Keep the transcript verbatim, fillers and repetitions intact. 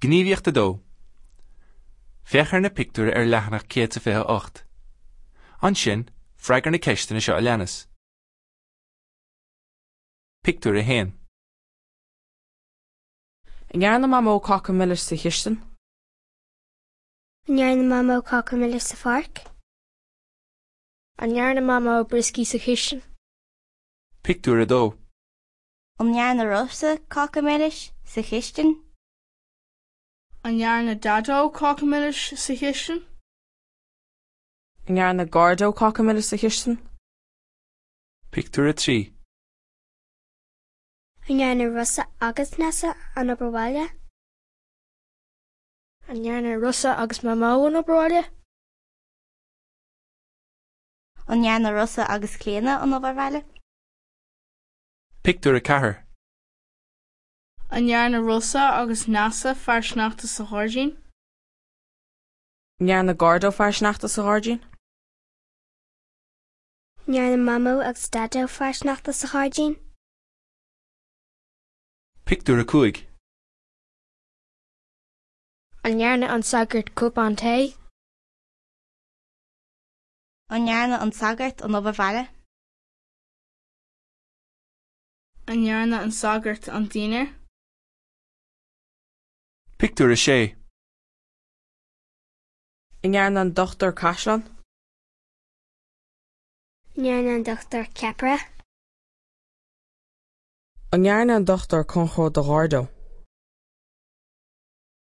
Gníomhaíocht a dó. Féach ar na pictiúir ar leathanach céad is fiche a hocht. Ansin, freagair na ceisteanna seo a leanas. Pictiúr a haon. An ndearna Mamó cáca milis sa chistin? An ndearna Mamó cáca milis sa pháirc? An ndearna Mamó brioscaí sa chistin? Pictiúr a dó. An ndearna Rosa cáca milis sa chistin? An ndearna Daideo cáca milis sa chistin? An ndearna Gardo cáca milis sa chistin? Pictiúr a trí. An ndearna Rosa agus Nessa an obair bhaile? An ndearna Rosa agus Mamó an obair bhaile? An ndearna Rosa agus Clíona an obair bhaile? Pictiúr a ceathair. An ndearna Rosa agus Neasa fear sneachta sa ghairdín? An ndearna Gardo fear sneachta sa ghairdín? An ndearna Mamó agus Daideo fear sneachta sa ghairdín? Pictiúr a cúig. An ndearna an sagart cupán tae? An ndearna an sagart an obair bhaile? An ndearna an sagart an dinnéar? Pictiúr a sé. An ndearna an dochtúir caisleán? An ndearna an dochtúir ceapaire? An ndearna an dochtúir conchró do Ghardo?